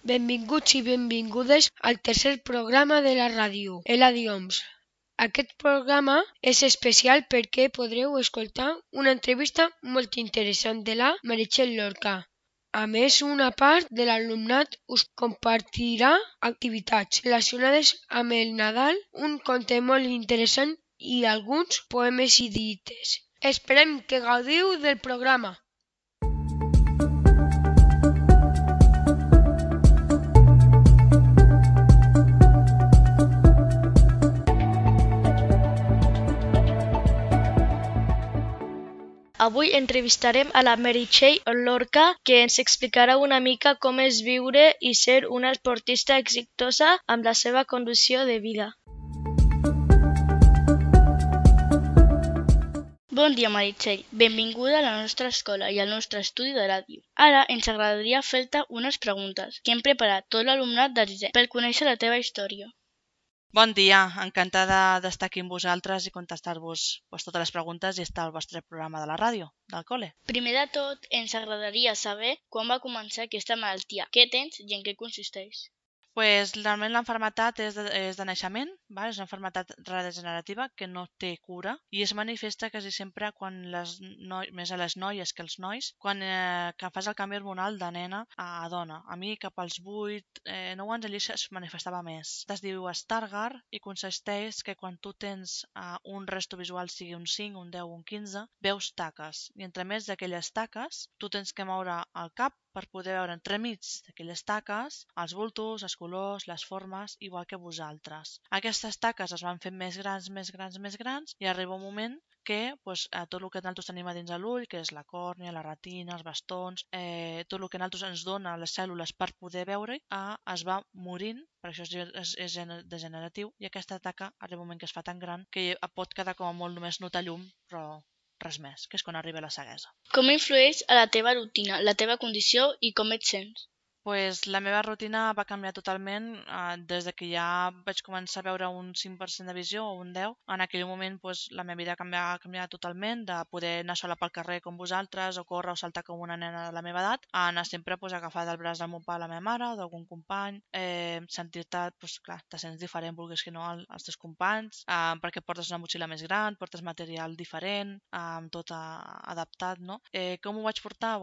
Benvinguts i benvingudes al tercer programa de la ràdio, Eladions. Aquest programa és especial perquè podreu escoltar una entrevista molt interessant de la Meritxell Lorca. A més, una part de l'alumnat us compartirà activitats relacionades amb el Nadal, un conte molt interessant i alguns poemes i dites. Esperem que gaudiu del programa. Avui entrevistarem a la Meritxell Lorca, que ens explicarà una mica com és viure i ser una esportista exitosa amb la seva condició de vida. Bon dia, Meritxell. Benvinguda a la nostra escola i al nostre estudi de ràdio. Ara ens agradaria fer-te unes preguntes que hem preparat tot l'alumnat de sisè per conèixer la teva història. Bon dia, encantada d'estar aquí amb vosaltres i contestar-vos totes les preguntes i estar al vostre programa de la ràdio, del col·le. Primer de tot, ens agradaria saber quan va començar aquesta malaltia, què tens i en què consisteix. Realment l'enfermetat és de naixement, és una malaltia degenerativa que no té cura i es manifesta quasi sempre quan més a les noies que als nois, quan que fas el canvi hormonal de nena a dona. A mi cap als 8-9 anys allí es manifestava més. Es diu Stargardt i consisteix que quan tu tens un resto visual, sigui un 5, un 10, un 15, veus taques i entre més d'aquelles taques tu tens que moure el cap per poder veure entremig d'aquelles taques els bultos, els colors, les formes, igual que vosaltres. Aquestes taques es van fent més grans i arriba un moment que tot el que nosaltres tenim a dins de l'ull, que és la còrnia, la retina, els bastons, tot el que nosaltres ens dona les cèl·lules per poder veure, es va morint, per això és degeneratiu, i aquesta taca arriba un moment que es fa tan gran que pot quedar com a molt només notar llum, però res més, que és quan arriba la ceguesa. Com influeix a la teva rutina, la teva condició i com et sents? La meva rutina va canviar totalment des que ja vaig començar a veure un 5% de visió o un 10. En aquell moment la meva vida va canviar totalment, de poder anar sola pel carrer com vosaltres o córrer o saltar com una nena de la meva edat, a anar sempre agafada del braç del meu pare, la meva mare o d'algun company, sentir-te, clar, te sents diferent, vulguis que no, als teus companys, perquè portes una motxilla més gran, portes material diferent, tot adaptat, no? Com ho vaig portar?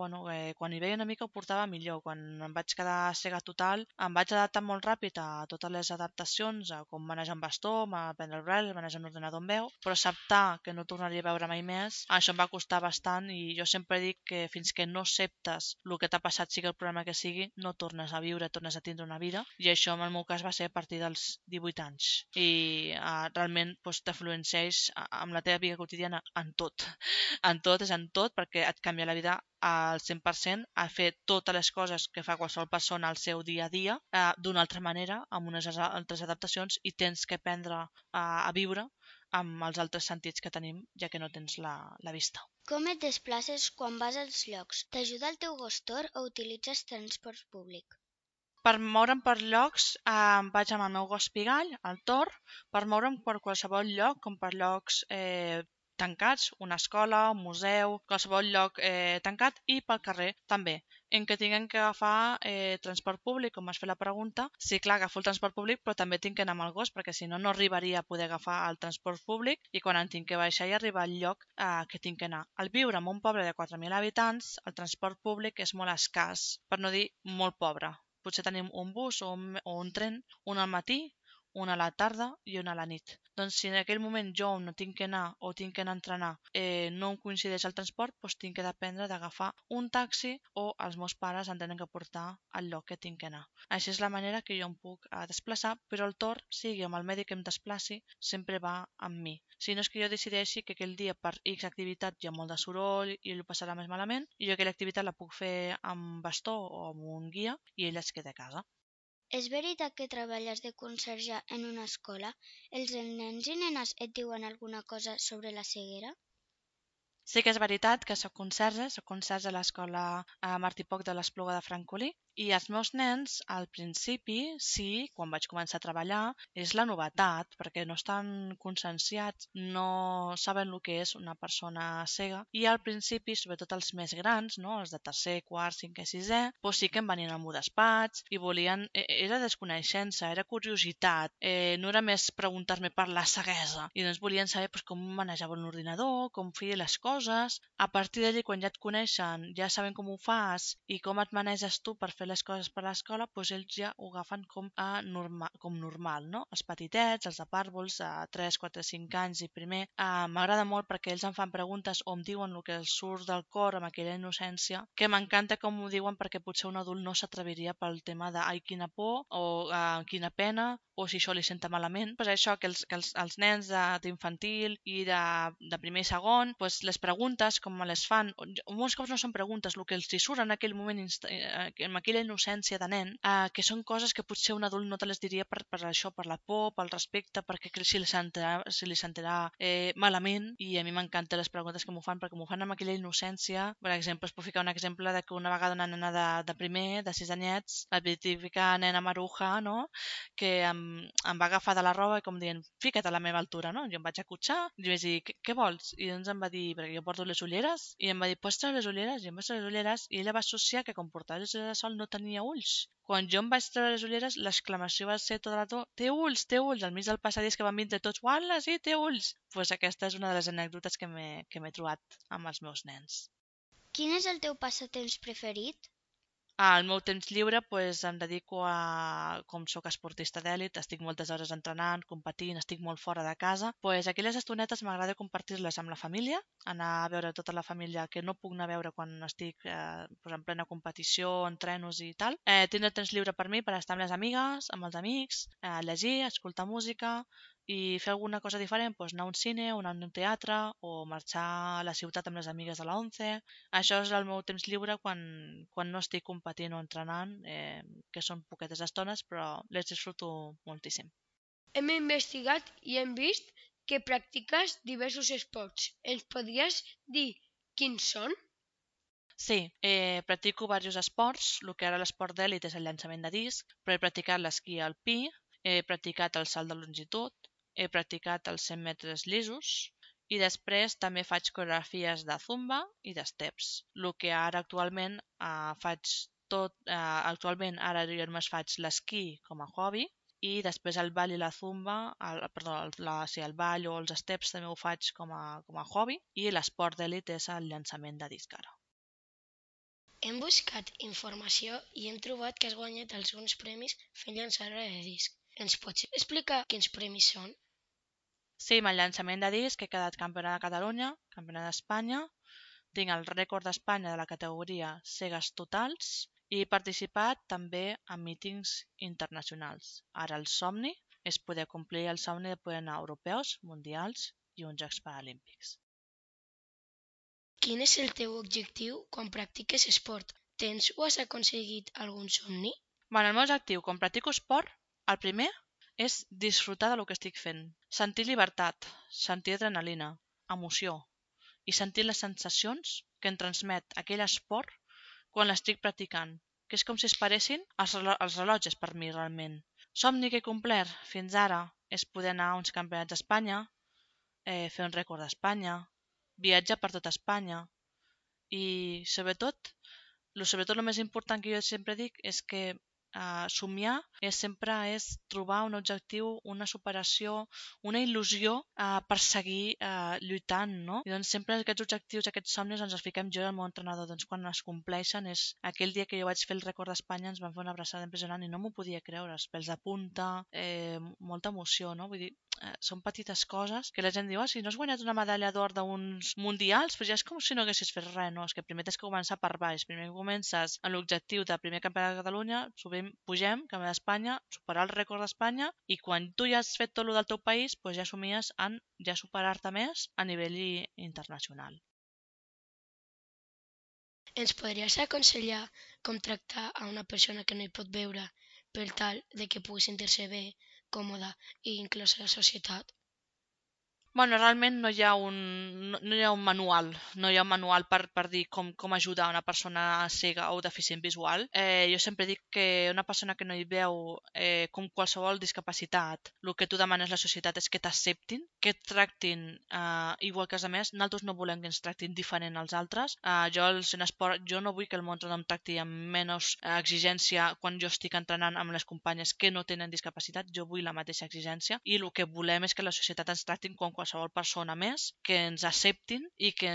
Quan hi veia una mica ho portava millor, quan em vaig quedar cega total, em vaig adaptar molt ràpid a totes les adaptacions, a com manejar un bastó, a prendre el braille, manejar un ordinador amb veu, però acceptar que no tornaria a veure mai més, això em va costar bastant i jo sempre dic que fins que no acceptes el que t'ha passat, sigui el problema que sigui, no tornes a viure, tornes a tindre una vida, i això en el meu cas va ser a partir dels 18 anys. I realment t'influencieix amb la teva vida quotidiana en tot. En tot, perquè et canvia la vida al 100%, a fer totes les coses que fa qualsevol persona al seu dia a dia d'una altra manera, amb unes altres adaptacions, i tens que aprendre a viure amb els altres sentits que tenim, ja que no tens la vista. Com et desplaces quan vas als llocs? T'ajuda el teu gostor o utilitzes transport públic? Per moure'm per llocs vaig amb el meu gos Pigall, el Thor, per moure'm per qualsevol lloc, com per llocs tancats, una escola, un museu, qualsevol lloc tancat, i pel carrer també. En què tinguem que agafar transport públic, com has fet la pregunta, sí, clar, agafo el transport públic, però també tinc que anar amb el gos, perquè si no, no arribaria a poder agafar el transport públic i quan en tinc que baixar i arribar al lloc que tinc que anar. Al viure en un poble de 4.000 habitants, el transport públic és molt escàs, per no dir molt pobre. Potser tenim un bus o un tren, un al matí, un a la tarda i un a la nit. Doncs si en aquell moment jo no tinc que anar o tinc que anar a entrenar, no em coincideix el transport, tinc que dependre d'agafar un taxi o els meus pares em tenen que portar al lloc que tinc que anar. Així és la manera que jo em puc desplaçar, però el torn, sigui amb el mèdic que em desplaci, sempre va amb mi. Si no és que jo decideixi que aquell dia per X activitat hi ha molt de soroll i ell ho passarà més malament, i jo aquella activitat la puc fer amb bastó o amb un guia i ell es queda a casa. És veritat que treballes de conserge en una escola? Els nens i nenes et diuen alguna cosa sobre la ceguera? Sí que és veritat que soc conserge a l'escola Martí Poch de l'Espluga de Francolí I els meus nens, al principi, sí, quan vaig començar a treballar, és la novetat, perquè no estan conscienciats, no saben el que és una persona cega, i al principi, sobretot els més grans, no? Els de tercer, quart, cinquè, sisè, doncs sí que em venien al meu despatx i volien... Era desconeixença, era curiositat, no era més preguntar-me per la ceguesa, i doncs volien saber com manejava un ordinador, com feia les coses. A partir d'allí, quan ja et coneixen, ja saben com ho fas i com et maneges tu per fer les coses per l'escola, doncs ells ja ho agafen com normal, no? Els petitets, els de pàrvols, de 3, 4, 5 anys i primer, m'agrada molt perquè ells em fan preguntes o em diuen el que els surt del cor amb aquella innocència, que m'encanta com ho diuen perquè potser un adult no s'atreviria pel tema de ai, quina por o quina pena o si això li senta malament. Pues això, que els nens d'infantil i de primer i segon, pues les preguntes, com me les fan, molts cops no són preguntes, el que els hi surt en aquell moment, amb aquella innocència de nen, que són coses que potser un adult no te les diria per això, per la por, pel respecte, perquè si li sentirà malament, i a mi m'encanten les preguntes que m'ho fan, perquè m'ho fan amb aquella innocència. Per exemple, es pot ficar un exemple de que una vegada una nena de primer, de 6 anyets, la típica nena maruja, no?, que em va agafar de la roba i com dient, fica't a la meva altura, no? Jo em vaig acotxar i li vaig dir, què vols? I doncs em va dir, perquè jo porto les ulleres, i em va dir, pots treure les ulleres? I em vaig treure les ulleres i ella va associar que com portava les ulleres de sol no tenia ulls. Quan jo em vaig treure les ulleres, l'exclamació va ser tot el rato, té ulls, al mig del passadís que van vindre tots, uala, sí, té ulls. Doncs aquesta és una de les anècdotes que m'he trobat amb els meus nens. Quin és el teu passatemps preferit? Al meu temps lliure em dedico a, com sóc esportista d'èlit, estic moltes hores entrenant, competint, estic molt fora de casa, aquelles estonetes m'agrada compartir-les amb la família, anar a veure tota la família que no puc anar a veure quan estic en plena competició, entrenos i tal. Tindre temps lliure per mi per estar amb les amigues, amb els amics, llegir, escoltar música i fer alguna cosa diferent, anar a un cine, anar a un teatre o marxar a la ciutat amb les amigues de la 11. Això és el meu temps lliure quan no estic competint o entrenant, que són poquetes estones, però les disfruto moltíssim. Hem investigat i hem vist que practiques diversos esports. Ens podries dir quins són? Sí, practico diversos esports. El que ara l'esport d'èlit és el llançament de disc, però he practicat l'esquí alpí, he practicat el salt de longitud, he practicat els 100 metres llisos i després també faig coreografies de zumba i d'esteps. El que ara actualment faig tot, ara jo només faig l'esquí com a hobby i després el ball i la zumba, el ball o els steps també ho faig com a hobby i l'esport d'èlit és el llançament de disc ara. Hem buscat informació i hem trobat que has guanyat alguns premis fent llançadora de disc. Ens pots explicar quins premis són? Sí, amb el llançament de disc he quedat campionat de Catalunya, campionat d'Espanya, tinc el rècord d'Espanya de la categoria cegues totals i he participat també en mítings internacionals. Ara el somni és poder complir el somni de poder anar a europeus, mundials i uns Jocs Paralímpics. Quin és el teu objectiu quan practiques esport? Tens o has aconseguit algun somni? El meu objectiu quan practico esport, el primer, és disfrutar del que estic fent. Sentir llibertat, sentir adrenalina, emoció i sentir les sensacions que em transmet aquell esport quan l'estic practicant, que és com si es paressin els rellotges per mi realment. Somni que he complert fins ara és poder anar a uns campionats d'Espanya, fer un rècord d'Espanya, viatjar per tot Espanya i sobretot el més important que jo sempre dic és que somiar sempre és trobar un objectiu, una superació, una il·lusió per seguir lluitant, no? I doncs sempre aquests objectius, aquests somnis ens els fiquem jo i el meu entrenador. Doncs quan es compleixen és aquell dia que jo vaig fer el rècord d'Espanya, ens van fer una abraçada impressionant i no m'ho podia creure, els pèls de punta, molta emoció, no? Vull dir, són petites coses que la gent diu, si no has guanyat una medalla d'or d'uns mundials, però ja és com si no haguessis fet res, no? És que primer tens que començar per baix. Primer comences amb l'objectiu de primer campionat de Catalunya, pugem, campionat d'Espanya, superar el rècord d'Espanya i quan tu ja has fet tot el del teu país, doncs ja somies en ja superar-te més a nivell internacional. Ens podries aconsellar com tractar a una persona que no hi pot veure per tal de que pugui sentir-se bé, còmoda i inclosa a la societat? Bueno, realment no hi ha un manual, per dir com ajudar una persona cega o deficient visual. Jo sempre dic que una persona que no hi veu com qualsevol discapacitat, el que tu demanes a la societat és que t'acceptin, que et tractin igual que els altres. Nosaltres no volem que ens tractin diferent als altres. Jo no vull que el món em tracti amb menys exigència quan jo estic entrenant amb les companyes que no tenen discapacitat. Jo vull la mateixa exigència i el que volem és que la societat ens tractin com qualsevol persona més, que ens acceptin i que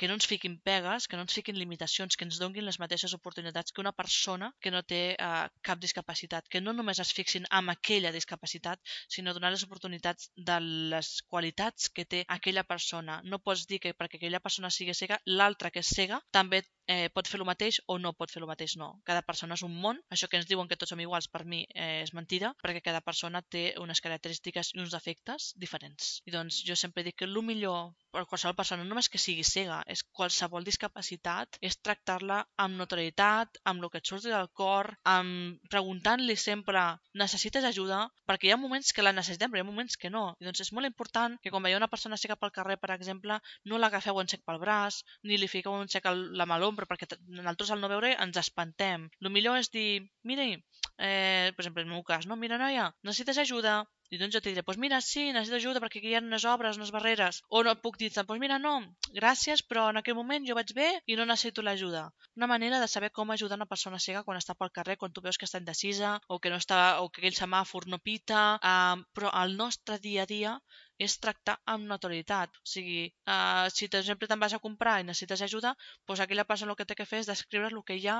no ens fiquin pegues, que no ens fiquin limitacions, que ens donin les mateixes oportunitats que una persona que no té cap discapacitat, que no només es fixin en aquella discapacitat, sinó donar les oportunitats de les qualitats que té aquella persona. No pots dir que perquè aquella persona sigui cega, l'altra que és cega també pot fer el mateix o no pot fer el mateix. No, cada persona és un món. Això que ens diuen que tots som iguals per mi és mentida, perquè cada persona té unes característiques i uns defectes diferents. I doncs jo sempre dic que el millor per qualsevol persona, no només que sigui cega, és qualsevol discapacitat, és tractar-la amb notorietat, amb el que et surti del cor, preguntant-li sempre necessites ajuda, perquè hi ha moments que la necessitem, però hi ha moments que no. I doncs és molt important que quan veieu una persona cega pel carrer, per exemple, no l'agafeu en sec pel braç, ni li fiqueu en sec la mà a l'ombra, perquè nosaltres al no veure ens espantem. El millor és dir, mira, per exemple, en el meu cas, no? Mira, noia, necessites ajuda? I doncs jo t'hi diré, doncs mira, sí, necessito ajuda perquè aquí hi ha unes obres, unes barreres. O no puc dir-te, doncs mira, no, gràcies, però en aquell moment jo vaig bé i no necessito l'ajuda. Una manera de saber com ajudar una persona cega quan està pel carrer, quan tu veus que està indecisa o que aquell semàfor no pita, però el nostre dia a dia és tractar amb notorietat. O sigui, si per exemple te'n vas a comprar i necessites ajuda, doncs aquella persona el que té que fer és descriure el que hi ha,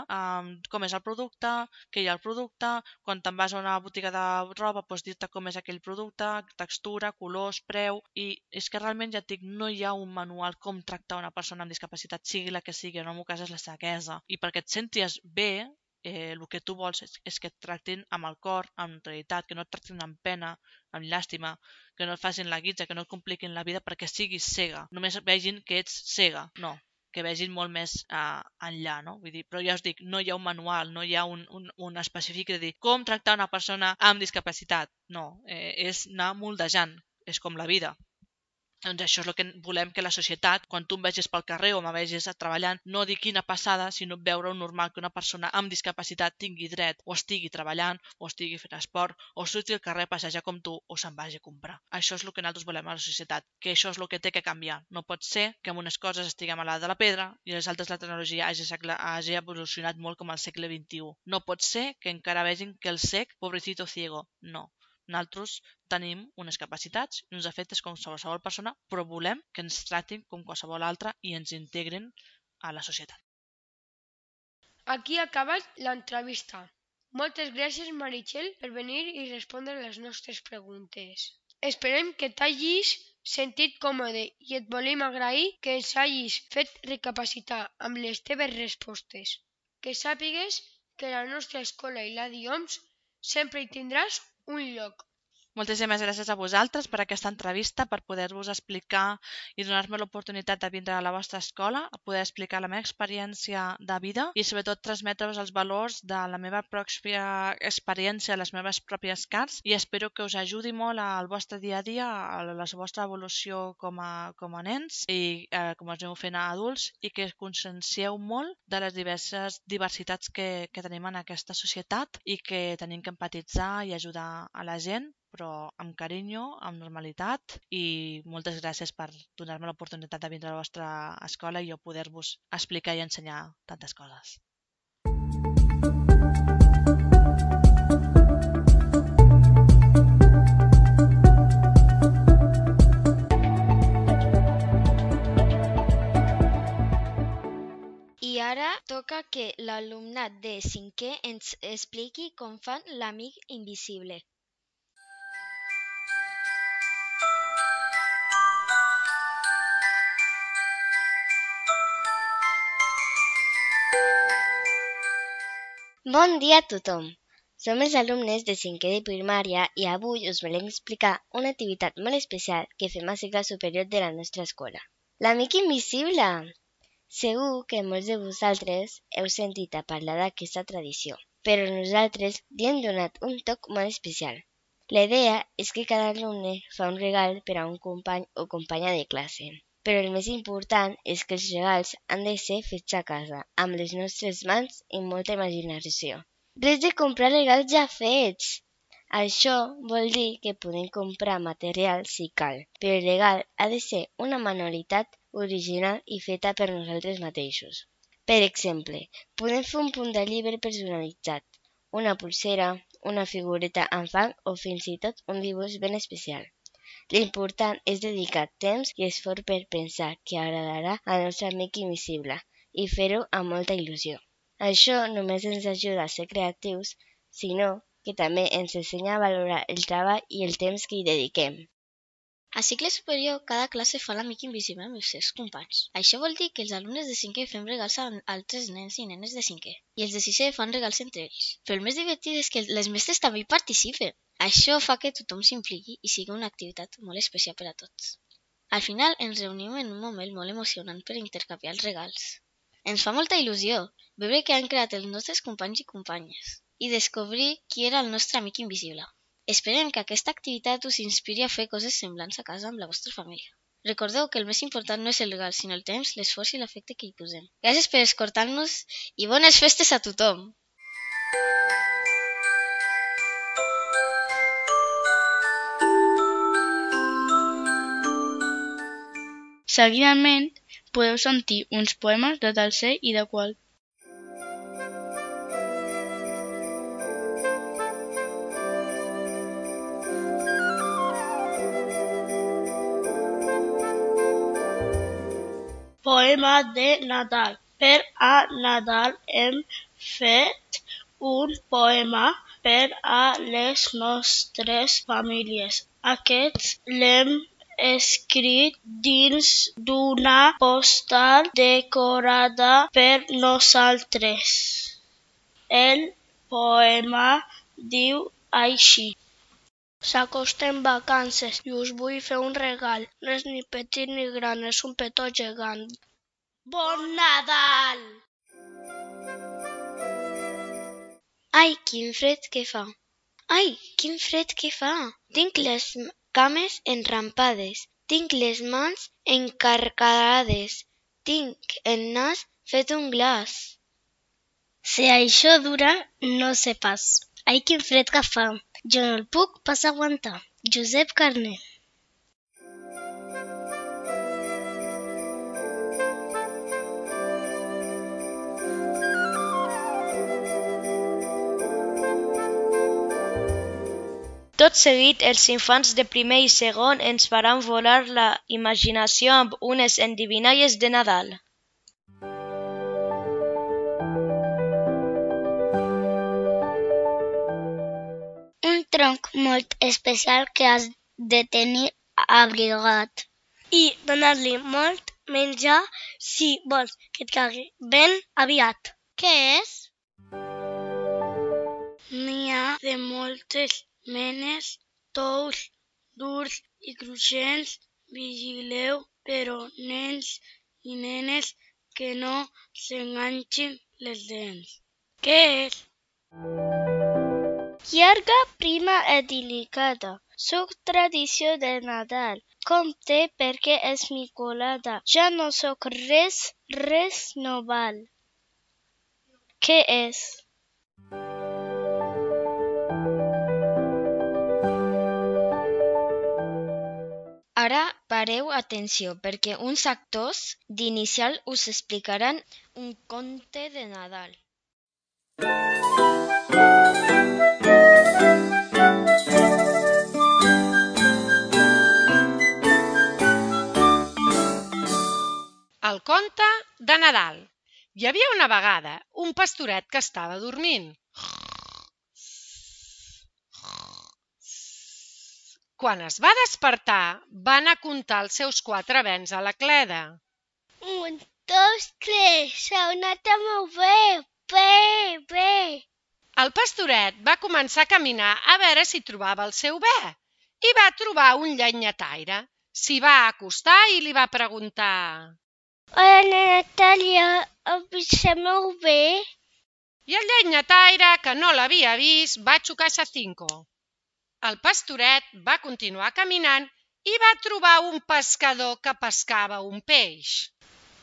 com és el producte, què hi ha al producte, quan te'n vas a una botiga de roba, doncs dir-te com és aquell producte, textura, colors, preu, i és que realment ja et dic, no hi ha un manual com tractar una persona amb discapacitat, sigui la que sigui, en el meu cas és la ceguesa. I perquè et sentis bé, el que tu vols és que et tractin amb el cor, amb neutralitat, que no et tractin amb pena, amb llàstima, que no et facin la guitza, que no et compliquin la vida perquè siguis cega. Només vegin que ets cega, no, que vegin molt més enllà, no? Vull dir, però ja us dic, no hi ha un manual, no hi ha un específic de dir com tractar una persona amb discapacitat. No, és anar moldejant, és com la vida. Doncs això és el que volem que la societat, quan tu em vegis pel carrer o me vegis treballant, no dir quina passada, sinó veure normal que una persona amb discapacitat tingui dret o estigui treballant o estigui fent esport o surti al carrer a passejar com tu o se'n vagi a comprar. Això és el que nosaltres volem a la societat, que això és el que té que canviar. No pot ser que en unes coses estiguem a l'edat de la pedra i a les altres la tecnologia hagi evolucionat molt com al segle XXI. No pot ser que encara vegin que el cec, pobrecito ciego, no. Nosaltres tenim unes capacitats i uns efectes com qualsevol persona, però volem que ens tractin com qualsevol altra i ens integren a la societat. Aquí ha acabat l'entrevista. Moltes gràcies, Meritxell, per venir i respondre les nostres preguntes. Esperem que t'hagis sentit còmode i et volem agrair que ens hagis fet recapacitar amb les teves respostes. Que sàpigues que la nostra escola i la DIOMS sempre hi tindràs un lloc. Moltíssimes gràcies a vosaltres per aquesta entrevista, per poder-vos explicar i donar-me l'oportunitat de vindre a la vostra escola, a poder explicar la meva experiència de vida i sobretot transmetre-vos els valors de la meva pròpia experiència, les meves pròpies carns, i espero que us ajudi molt al vostre dia a dia, a la vostra evolució com a nens i com us aneu fent a adults, i que consciencieu molt de les diverses diversitats que tenim en aquesta societat i que tenim que empatitzar i ajudar a la gent, però amb carinyo, amb normalitat, i moltes gràcies per donar-me l'oportunitat de vindre a la vostra escola i jo poder-vos explicar i ensenyar tantes coses. I ara toca que l'alumnat de 5è ens expliqui com fan l'amic invisible. Bon dia a tothom! Som els alumnes de 5è de primària i avui us volem explicar una activitat molt especial que fem a cicle superior de la nostra escola. L'amic invisible! Segur que molts de vosaltres heu sentit a parlar d'aquesta tradició, però nosaltres li hem donat un toc molt especial. La idea és que cada alumne fa un regal per a un company o companya de classe. Però el més important és que els regals han de ser fets a casa, amb les nostres mans i molta imaginació. Res de comprar regals ja fets! Això vol dir que podem comprar material si cal, però el regal ha de ser una manualitat original i feta per nosaltres mateixos. Per exemple, podem fer un punt de llibre personalitzat, una pulsera, una figureta amb fang o fins i tot un dibuix ben especial. L'important és dedicar temps i esforç per pensar que agradarà al nostre amic invisible i fer-ho amb molta il·lusió. Això només ens ajuda a ser creatius, sinó que també ens ensenya a valorar el treball i el temps que hi dediquem. A cicle superior, cada classe fa l'amic invisible amb els seus companys. Això vol dir que els alumnes de 5è fem regals a altres nens i nenes de 5è, i els de 6è fan regals entre ells. Però el més divertit és que les mestres també hi participen. Això fa que tothom s'impliqui i sigui una activitat molt especial per a tots. Al final ens reunim en un moment molt emocionant per intercanviar els regals. Ens fa molta il·lusió veure què han creat els nostres companys i companyes i descobrir qui era el nostre amic invisible. Esperem que aquesta activitat us inspiri a fer coses semblants a casa amb la vostra família. Recordeu que el més important no és el regal, sinó el temps, l'esforç i l'afecte que hi posem. Gràcies per escoltar-nos i bones festes a tothom! Seguidament, podeu sentir uns poemes de tercer i de quart. Poema de Nadal. Per a Nadal hem fet un poema per a les nostres famílies. Aquest l'hem escrit dins d'una postal decorada per nosaltres. El poema diu així. S'acosten vacances i us vull fer un regal. No és ni petit ni gran, és un petó gegant. Bon Nadal! Ai, quin fred que fa! Ai, quin fred que fa! Tinc les cames enrampades, tinc les mans encarcarades, tinc el nas fet un glaç. Si això dura, no sé pas. Ai, quin fred que fa! Jo no el puc pas aguantar. Josep Carner. Tot seguit, els infants de primer i segon ens faran volar la imaginació amb unes endivinalles de Nadal. Un tronc molt especial que has de tenir abrigat i donar-li molt menjar si vols que et cagui ben aviat. Què és? N'hi ha de moltes menes, tous, durs i cruixents. Vigileu, però, nens i nenes, que no s'enganxin les dents. Què és? Llarga, prima i delicada. Soc tradició de Nadal. Compte perquè és micolada. Ja no soc res, res no val. Què és? Ara pareu atenció perquè uns actors d'inicial us explicaran un conte de Nadal. El conte de Nadal. Hi havia una vegada un pastoret que estava dormint. Quan es va despertar, va anar a comptar els seus 4 bens a la cleda. 1, 2, 3, s'ha anat molt bé. El pastoret va començar a caminar a veure si trobava el seu bé i va trobar un llenyataire. S'hi va acostar i li va preguntar: Hola, Natàlia, em vist molt bé? I el llenyataire, que no l'havia vist, va xocar a 5. El pastoret va continuar caminant i va trobar un pescador que pescava un peix.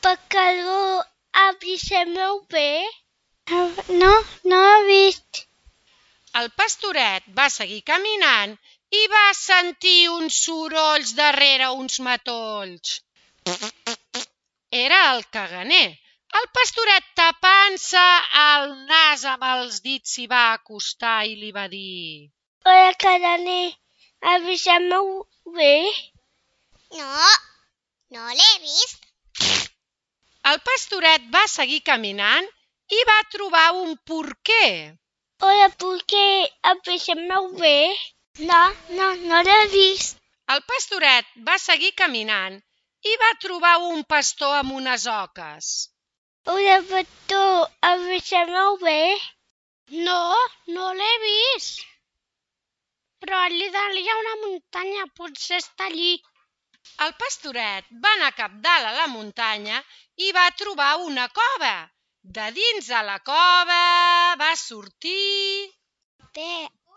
Pescador, aviseu-me bé? No he vist. El pastoret va seguir caminant i va sentir uns sorolls darrere uns matolls. Era el caganer. El pastoret, tapant-se el nas amb els dits, s'hi va acostar i li va dir: Hola, caganer, aviseu-me bé? No l'he vist. El pastoret va seguir caminant i va trobar un porquer. Hola, porquer, aviseu-me bé? No l'he vist. El pastoret va seguir caminant i va trobar un pastor amb unes oques. Hola, pastor, aviseu-me bé? No l'he vist. Però allí dalt hi ha una muntanya, potser està allí. El pastoret va anar capdalt a la muntanya i va trobar una cova. De dins de la cova va sortir...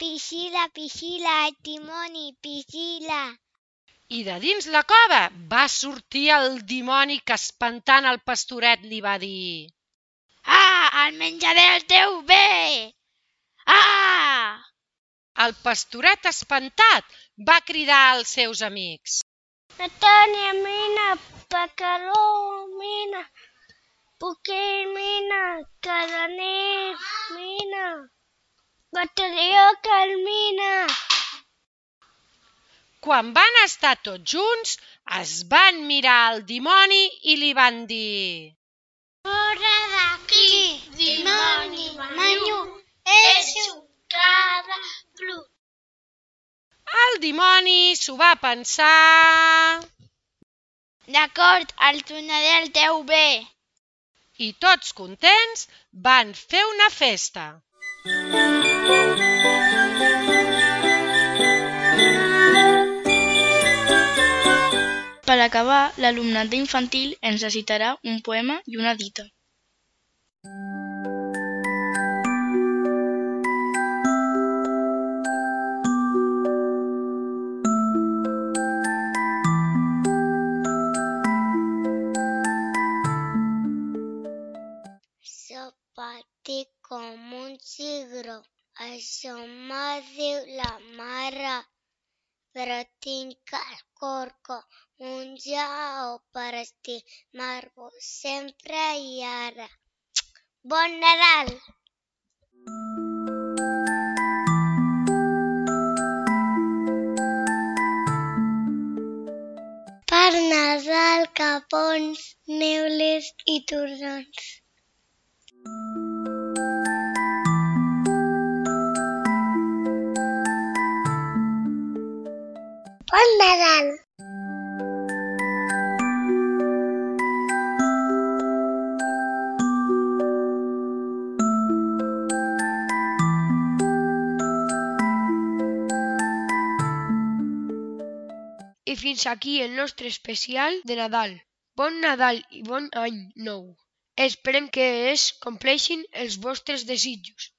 Piscila, el dimoni, piscila. I de dins la cova va sortir el dimoni que, espantant el pastoret, li va dir: El menjaré el teu bé! El pastoret, espantat, va cridar als seus amics: Natània, mina, pescador, mina, porquer, mina, caganer, mina, bateria, mina. Quan van estar tots junts, es van mirar al dimoni i li van dir: Fora d'aquí, dimoni, manyo, eixo, cada plut. El dimoni s'ho va pensar D'acord, el tornaré el teu bé. i tots contents van fer una festa. Per acabar, l'alumnat d'infantil ens recitarà un poema i una dita. Sopati com un cigró, això m'ho diu la mare, però tinc el cor com un lleó per estimar-vos sempre i ara. Bon Nadal! Per Nadal, capons, neules i torrons. Bon Nadal! I fins aquí el nostre especial de Nadal. Bon Nadal i bon any nou. Esperem que es compleixin els vostres desitjos.